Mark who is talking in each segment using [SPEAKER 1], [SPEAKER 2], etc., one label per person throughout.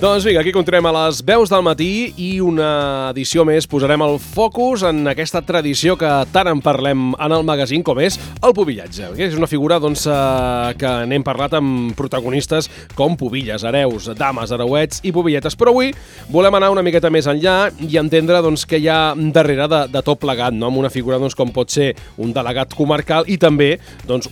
[SPEAKER 1] Doncs vinga, aquí continuem a les veus del matí i una edició més posarem el focus en aquesta tradició que tant en parlem en el magazín com és el pubillatge. És una figura que n'hem parlat amb protagonistes com pubilles, hereus, dames, hereuets i pubilletes, però avui volem anar una miqueta més enllà i entendre què hi ha darrere de tot plegat, no? Amb una figura com pot ser un delegat comarcal i també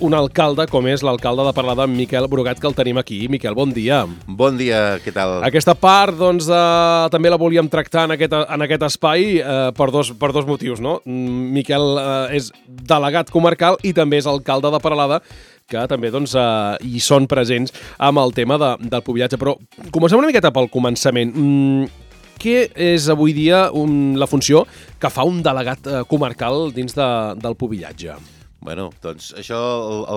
[SPEAKER 1] un alcalde com és l'alcalde de Peralada, Miquel Brugat, que el tenim aquí. Miquel, bon dia.
[SPEAKER 2] Bon dia, què tal?
[SPEAKER 1] Aquesta part també la volíem tractar en aquest espai per dos motius, no? Miquel és delegat comarcal i també és alcalde de Peralada, que també hi són presents amb el tema del pubillatge. Però comencem una miqueta pel començament. Què és avui dia la funció que fa un delegat comarcal dins del pubillatge?
[SPEAKER 2] Bueno, doncs això,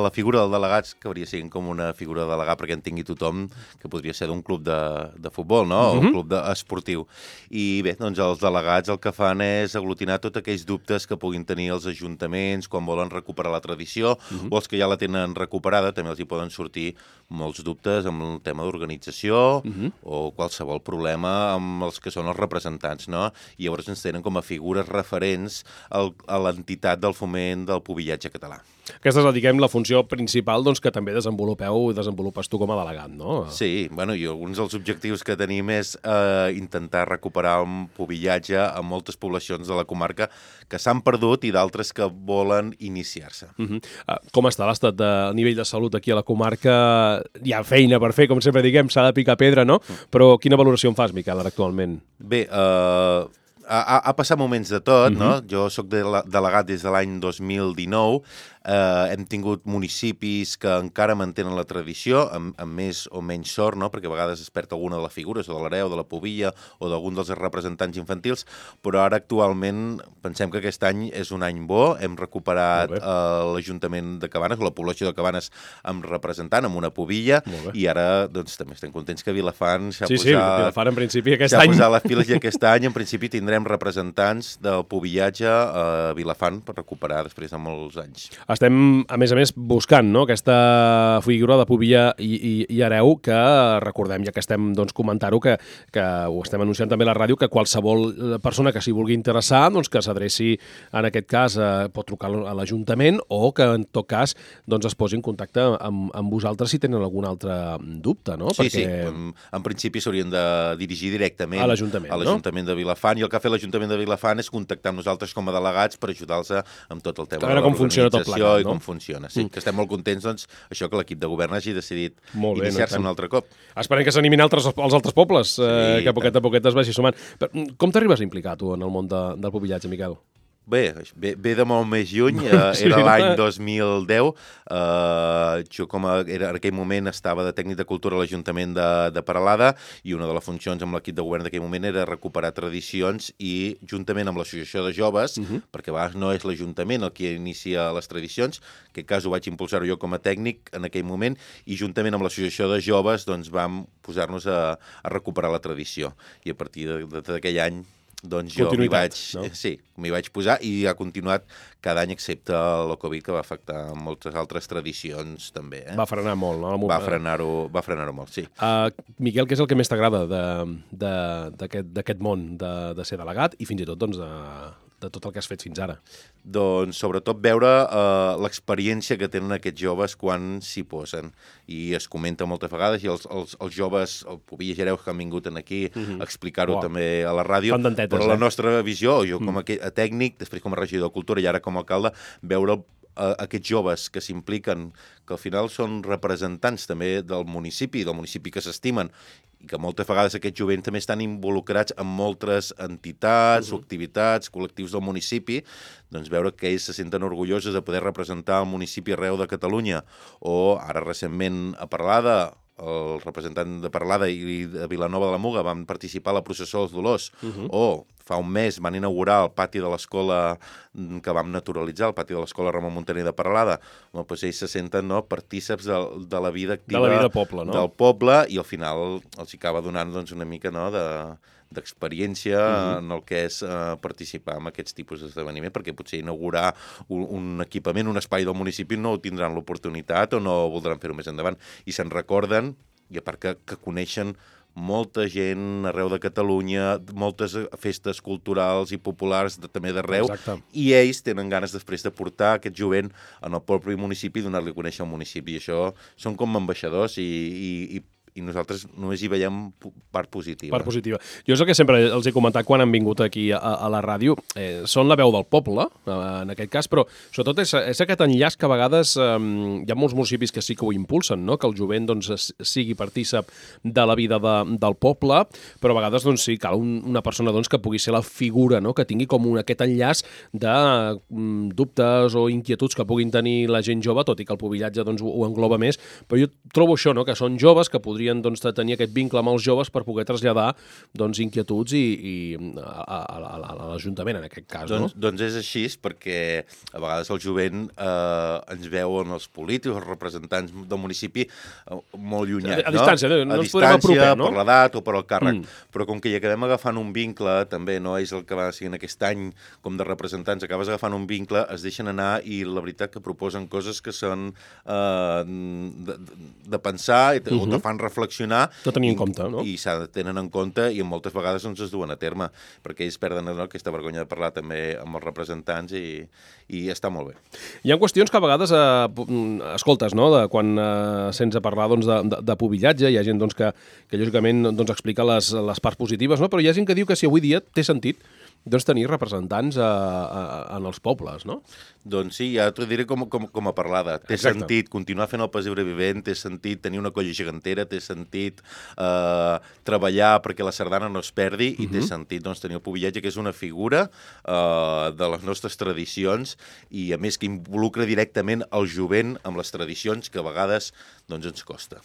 [SPEAKER 2] la figura del delegat acabaria sent com una figura de delegat perquè en tingui tothom, que podria ser d'un club de futbol, no? O un club esportiu. I bé, doncs els delegats el que fan és aglutinar tots aquells dubtes que puguin tenir els ajuntaments quan volen recuperar la tradició, o els que ja la tenen recuperada, també els hi poden sortir molts dubtes amb el tema d'organització o qualsevol problema amb els que són els representants, no? I llavors ens tenen com a figures referents a l'entitat del foment del pubillatge català.
[SPEAKER 1] Aquesta és, diguem, la funció principal que també desenvolupes tu com a delegat, no?
[SPEAKER 2] Sí, bueno, i alguns dels objectius que tenim és intentar recuperar un pubillatge a moltes poblacions de la comarca que s'han perdut i d'altres que volen iniciar-se.
[SPEAKER 1] Com està l'estat de nivell de salut aquí a la comarca? Hi ha feina per fer, com sempre diguem, s'ha de picar pedra, no? Però quina valoració en fas, Miquel, ara actualment?
[SPEAKER 2] Bé, ha passat moments de tot, no? Jo soc delegat des de l'any 2019, hem tingut municipis que encara mantenen la tradició, amb més o menys sort, no? Perquè a vegades es perd alguna de les figures, o de l'hereu, de la pubilla, o d'algun dels representants infantils, però ara actualment pensem que aquest any és un any bo, hem recuperat l'Ajuntament de Cabanes, o la població de Cabanes amb representant, amb una pubilla, i ara doncs, també estem contents que Vilafant s'ha
[SPEAKER 1] Vilafant en principi aquest any
[SPEAKER 2] posat les piles i aquest any en principi tindrem representants del pubillatge a Vilafant per recuperar després de molts anys.
[SPEAKER 1] Estem, a més, buscant, no?, aquesta figura de pubilla i hereu que, recordem, ja que estem comentant-ho, que ho estem anunciant també a la ràdio, que qualsevol persona que s'hi vulgui interessar, que s'adreci, en aquest cas, pot trucar a l'Ajuntament o que, en tot cas, es posi en contacte amb vosaltres si tenen algun altre dubte, no?
[SPEAKER 2] Sí. En principi s'haurien de dirigir directament
[SPEAKER 1] a l'Ajuntament
[SPEAKER 2] de Vilafant, i el que ha fet l'Ajuntament de Vilafant és contactar amb nosaltres com a delegats per ajudar-los amb tot el tema de l'organització i com funciona. Sí, que estem molt contents, això que l'equip de govern hagi decidit iniciar-se un altre cop.
[SPEAKER 1] Esperem que s'animin els altres pobles, que a poquet es vagi sumant. Com t'arribes a implicar, tu, en el món del pubillatge, Miquel?
[SPEAKER 2] Bé, ve de molt més lluny, era l'any 2010, jo en aquell moment estava de tècnic de cultura a l'Ajuntament de Peralada i una de les funcions amb l'equip de govern d'aquell moment era recuperar tradicions i juntament amb l'associació de joves, perquè a vegades no és l'Ajuntament el que inicia les tradicions, en aquest cas ho vaig impulsar jo com a tècnic en aquell moment, i juntament amb l'associació de joves vam posar-nos a recuperar la tradició, i a partir d'aquell any doncs jo m'hi vaig posar i ha continuat cada any excepte la Covid, que va afectar moltes altres tradicions també.
[SPEAKER 1] Va frenar molt, no?
[SPEAKER 2] Va frenar-ho molt, sí.
[SPEAKER 1] Miquel, què és el que més t'agrada d'aquest món de ser delegat i fins i tot de tot el que has fet fins ara?
[SPEAKER 2] Doncs sobretot veure l'experiència que tenen aquests joves quan s'hi posen, i es comenta moltes vegades, i els joves, el pubilles i hereus que han vingut aquí a explicar-ho també a la ràdio, però la nostra visió, jo com a tècnic, després com a regidor de Cultura i ara com a alcalde, veure aquests joves que s'impliquen, que al final són representants també del municipi que s'estimen, i que moltes vegades aquests jovents també estan involucrats en moltes entitats o activitats, col·lectius del municipi, doncs veure que ells se senten orgullosos de poder representar el municipi arreu de Catalunya, o ara recentment a Peralada, el representant de Peralada i de Vilanova de la Muga van participar a la processó dels Dolors, o fa un mes van inaugurar el pati de l'escola que vam naturalitzar, el pati de l'escola Ramon Muntaner de Peralada. Doncs ells se senten partíceps de la vida activa
[SPEAKER 1] del
[SPEAKER 2] poble, i al final els acaba donant una mica d'experiència en el que és participar en aquests tipus d'esdeveniment, perquè potser inaugurar un equipament, un espai del municipi no tindran l'oportunitat o no voldran fer-ho més endavant, i se'n recorden, i a part que coneixen molta gent arreu de Catalunya, moltes festes culturals i populars també d'arreu, i ells tenen ganes després de portar aquest jovent en el propi municipi i donar-li a conèixer al municipi. I això són com ambaixadors i nosaltres només hi veiem part positiva.
[SPEAKER 1] Part positiva. Jo és el que sempre els he comentat quan han vingut aquí a la ràdio. Són la veu del poble, en aquest cas, però sobretot és aquest enllaç que a vegades hi ha molts municipis que sí que ho impulsen, no? Que el jovent doncs, sigui partícip de la vida del poble, però a vegades doncs, sí, cal una persona doncs, que pugui ser la figura, no? Que tingui com aquest enllaç de dubtes o inquietuds que puguin tenir la gent jove, tot i que el pobillatge doncs, ho engloba més, però jo trobo això, no? Que són joves que podrien doncs, tenir aquest vincle amb els joves per poder traslladar doncs, inquietuds a l'Ajuntament, en aquest cas.
[SPEAKER 2] Doncs és així, perquè a vegades el jovent ens veuen els polítics, els representants del municipi molt llunyats.
[SPEAKER 1] A distància, no ens podem
[SPEAKER 2] apropar,
[SPEAKER 1] no?
[SPEAKER 2] Per l'edat o per el càrrec. Però com que hi acabem agafant un vincle, també no és el que va seguint aquest any com de representants, acabes agafant un vincle, es deixen anar i la veritat que proposen coses que són de pensar o te fan reflexionar.
[SPEAKER 1] De tenir en compte, no?
[SPEAKER 2] I s'ha de tenir en compte i moltes vegades es duen a terme, perquè ells perden aquesta vergonya de parlar també amb els representants i està molt bé.
[SPEAKER 1] Hi ha qüestions que a vegades escoltes, no? Quan sents a parlar doncs, de pobillatge, hi ha gent doncs, que lògicament doncs, explica les parts positives, no? Però hi ha gent que diu que si avui dia té sentit doncs, tenir representants en els pobles, no?
[SPEAKER 2] Doncs sí, ja t'ho diré com a parlada. Té sentit continuar fent el pessebre vivent, té sentit tenir una colla gegantera, té sentit treballar perquè la sardana no es perdi i té sentit doncs, tenir el pobillatge, que és una figura de les nostres tradicions i, a més, que involucra directament el jovent amb les tradicions que a vegades doncs, ens costa.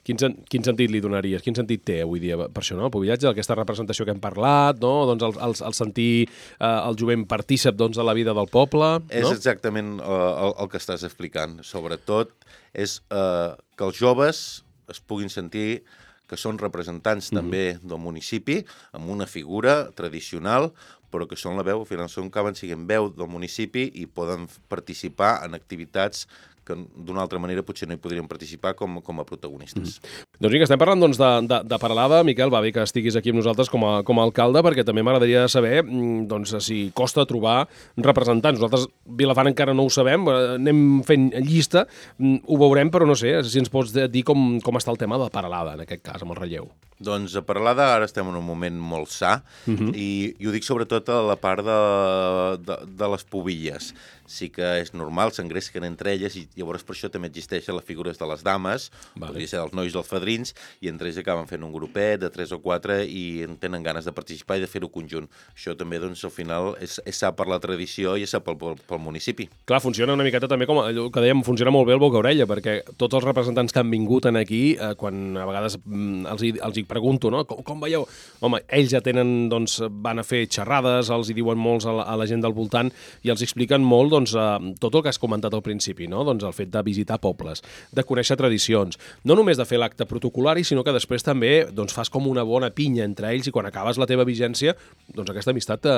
[SPEAKER 1] Quin sentit li donaries? Quin sentit té avui dia per això, no? El pobillatge, aquesta representació que hem parlat, no? Doncs el sentir el jovent partícip doncs, de la vida del poble, no?
[SPEAKER 2] És exactament el que estàs explicant. Sobretot és que els joves es puguin sentir que són representants també del municipi, amb una figura tradicional, però que són la veu, al final acaben sent veu del municipi i poden participar en activitats que d'una altra manera potser no hi podrien participar com a protagonistes.
[SPEAKER 1] Doncs vinga, estem parlant doncs, de Peralada. Miquel, va bé que estiguis aquí amb nosaltres com a alcalde, perquè també m'agradaria saber doncs, si costa trobar representants. Nosaltres, Vilafant, encara no ho sabem, anem fent llista, ho veurem, però no sé si ens pots dir com està el tema de Peralada, en aquest cas, amb el relleu.
[SPEAKER 2] Doncs a Peralada ara estem en un moment molt sa i ho dic sobretot a la part de les pobilles. Sí que és normal, s'engresquen entre elles i llavors per això també existeixen les figures de les dames, podria ser dels nois dels fadrins, i entre ells acaben fent un grupet de 3 o 4 i en tenen ganes de participar i de fer-ho conjunt. Això també, doncs, al final és sa per la tradició i és sa pel municipi.
[SPEAKER 1] Clar, funciona una miqueta també com allò que dèiem, funciona molt bé el boca-orella, perquè tots els representants que han vingut aquí, quan a vegades els hi pregunto, no? Com veieu? Home, ells ja tenen, doncs, van a fer xerrades, els hi diuen molts a la gent del voltant i els expliquen molt doncs, tot el que has comentat al principi, no? Doncs el fet de visitar pobles, de conèixer tradicions, no només de fer l'acte protocolari, sinó que després també doncs, fas com una bona pinya entre ells i quan acabes la teva vigència, doncs aquesta amistat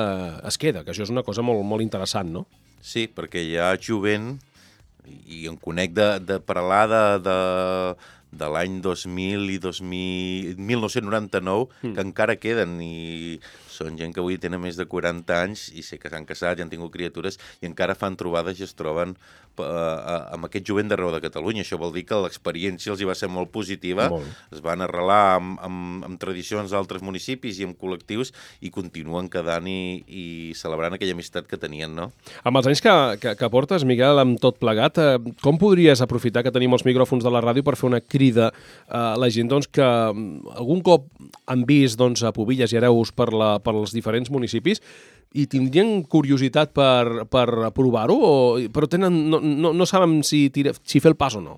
[SPEAKER 1] es queda, que això és una cosa molt, molt interessant, no?
[SPEAKER 2] Sí, perquè hi ha jovent, i em conec de Peralada de l'any 2000 i 1999, que encara queden i són gent que avui tenen més de 40 anys i sé que s'han casat i han tingut criatures i encara fan trobades i es troben amb aquest jovent d'arreu de Catalunya. Això vol dir que l'experiència els hi va ser molt positiva, es van arrelar amb tradicions d'altres municipis i amb col·lectius i continuen quedant i celebrant aquella amistat que tenien, no?
[SPEAKER 1] Amb els anys que portes, Miquel, amb tot plegat, com podries aprofitar que tenim els micròfons de la ràdio per fer una crida a la gent doncs, que algun cop han vist doncs, a Pobilles i Hereus pels diferents municipis i tindrien curiositat per provar-ho, però no saben si fer el pas o no?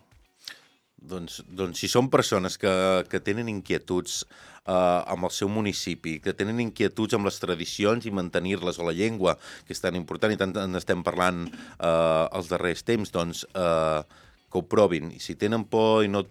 [SPEAKER 2] Doncs si són persones que tenen inquietuds amb el seu municipi, que tenen inquietuds amb les tradicions i mantenir-les, o la llengua, que és tan important i tant n'estem parlant els darrers temps, doncs que ho provin. I si tenen por i no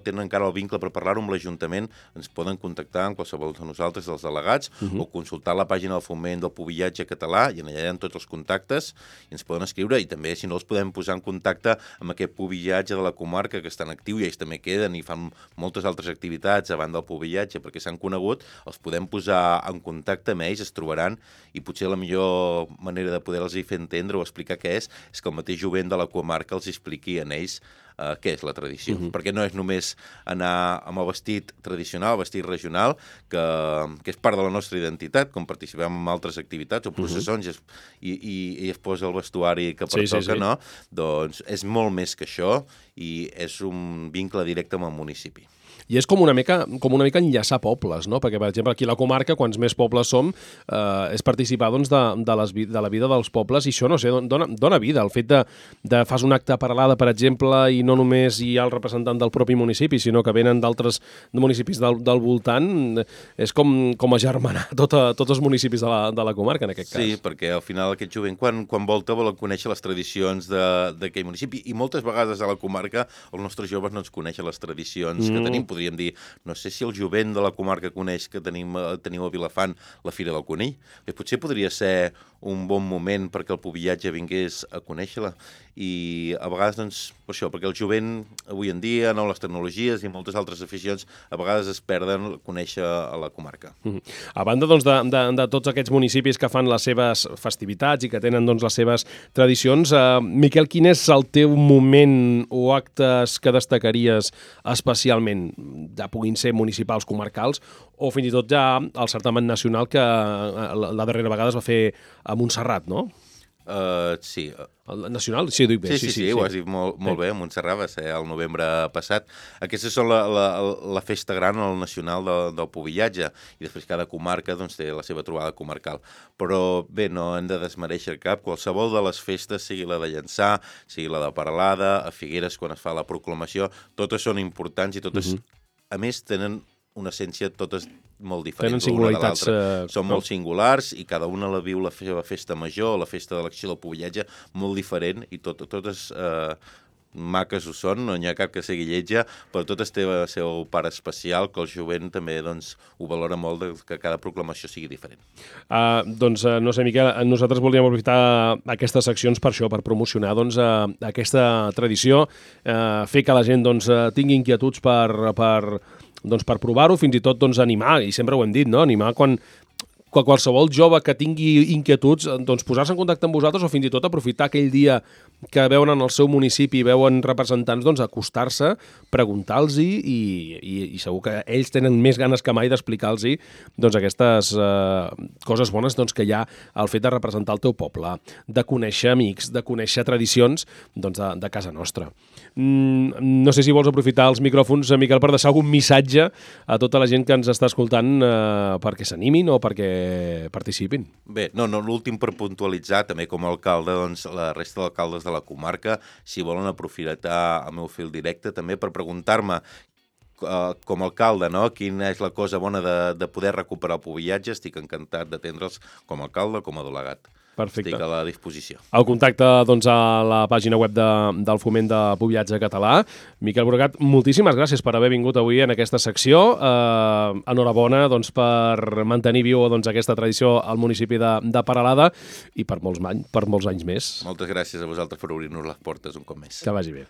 [SPEAKER 2] tenen encara el vincle per parlar-ho amb l'Ajuntament, ens poden contactar amb qualsevol de nosaltres, dels delegats, o consultar la pàgina del Foment del Pubillatge Català, i allà hi ha tots els contactes, i ens poden escriure, i també, si no, els podem posar en contacte amb aquest pubillatge de la comarca que està en actiu, i ells també queden i fan moltes altres activitats a banda del pubillatge perquè s'han conegut, els podem posar en contacte amb ells, es trobaran, i potser la millor manera de poder-los fer entendre o explicar què és que el mateix jovent de la comarca els expliqui en ells què és la tradició, perquè no és només anar amb el vestit tradicional, el vestit regional, que és part de la nostra identitat, com participem en altres activitats o processons i es posa el vestuari que pertoca, no? Doncs és molt més que això i és un vincle directe amb el municipi.
[SPEAKER 1] I és com una mica enllaçar pobles, no? Perquè, per exemple, aquí a la comarca, quants més pobles som, és participar doncs, de la vida dels pobles, i això, no sé, dona vida. El fet de fas un acte a Peralada, per exemple, i no només hi ha el representant del propi municipi, sinó que venen d'altres municipis del voltant, és com agermanar tots els municipis de la comarca, en aquest cas.
[SPEAKER 2] Sí, perquè al final aquest jovent, quan volta, volen conèixer les tradicions d'aquell municipi, i moltes vegades a la comarca els nostres joves no ens coneixen les tradicions que tenim. Podríem dir, no sé si el jovent de la comarca coneix que teniu a Vilafant la Fira del Conill. Potser podria ser un bon moment perquè el pubillatge vingués a conèixer-la. I a vegades, doncs, per això, perquè el jovent avui en dia, no, les tecnologies i moltes altres aficions, a vegades es perden conèixer a la comarca.
[SPEAKER 1] A banda, doncs, de tots aquests municipis que fan les seves festivitats i que tenen, doncs, les seves tradicions, Miquel, quin és el teu moment o actes que destacaries especialment? Ja puguin ser municipals, comarcals, o fins i tot ja el certamen nacional que la darrera vegada es va fer a Montserrat, no?
[SPEAKER 2] Sí.
[SPEAKER 1] El nacional? Sí, ho dic bé.
[SPEAKER 2] Sí, ho has dit molt bé. A Montserrat va ser el novembre passat. Aquesta és la festa gran, el nacional del pubillatge, i després cada comarca doncs, té la seva trobada comarcal. Però bé, no hem de desmereixer cap. Qualsevol de les festes, sigui la de Llançà, sigui la de Peralada, a Figueres quan es fa la proclamació, totes són importants i totes, a més, tenen una essència totes molt diferents.
[SPEAKER 1] Tenen singularitats.
[SPEAKER 2] Són molt singulars i cada una la viu la seva festa major, la festa de l'acció del pubillatge, molt diferent, i totes maques ho són, no n'hi ha cap que sigui lletja, però totes té el seu part especial, que el jovent també doncs, ho valora molt, que cada proclamació sigui diferent.
[SPEAKER 1] Doncs, no sé, Miquel, nosaltres volíem aprofitar aquestes seccions per això, per promocionar doncs, aquesta tradició, fer que la gent doncs, tingui inquietuds per provar-ho, fins i tot doncs, animar, i sempre ho hem dit, no? Animar quan qualsevol jove que tingui inquietuds, doncs posar-se en contacte amb vosaltres, o fins i tot aprofitar aquell dia que veuen en el seu municipi, veuen representants, doncs acostar-se, preguntar-los i segur que ells tenen més ganes que mai d'explicar-los doncs, aquestes coses bones doncs, que hi ha al fet de representar el teu poble, de conèixer amics, de conèixer tradicions doncs, de casa nostra. No sé si vols aprofitar els micròfons, Miquel, per deixar algun missatge a tota la gent que ens està escoltant perquè s'animin o perquè participin.
[SPEAKER 2] Bé, l'últim per puntualitzar, també com a alcalde, doncs la resta d'alcaldes de la comarca, si volen aprofitar el meu fil directe també per preguntar-me com a alcalde, no? Quina és la cosa bona de poder recuperar el pubillatge. Estic encantat d'atendre'ls com a alcalde o com a delegat.
[SPEAKER 1] Perfecte.
[SPEAKER 2] Estic a la disposició.
[SPEAKER 1] El contacte doncs, a la pàgina web del Foment de Pubillatge Català. Miquel Borgat, moltíssimes gràcies per haver vingut avui en aquesta secció. Enhorabona doncs, per mantenir viu doncs, aquesta tradició al municipi de Peralada i per molts anys més.
[SPEAKER 2] Moltes gràcies a vosaltres per obrir-nos les portes un cop més.
[SPEAKER 1] Que vagi bé.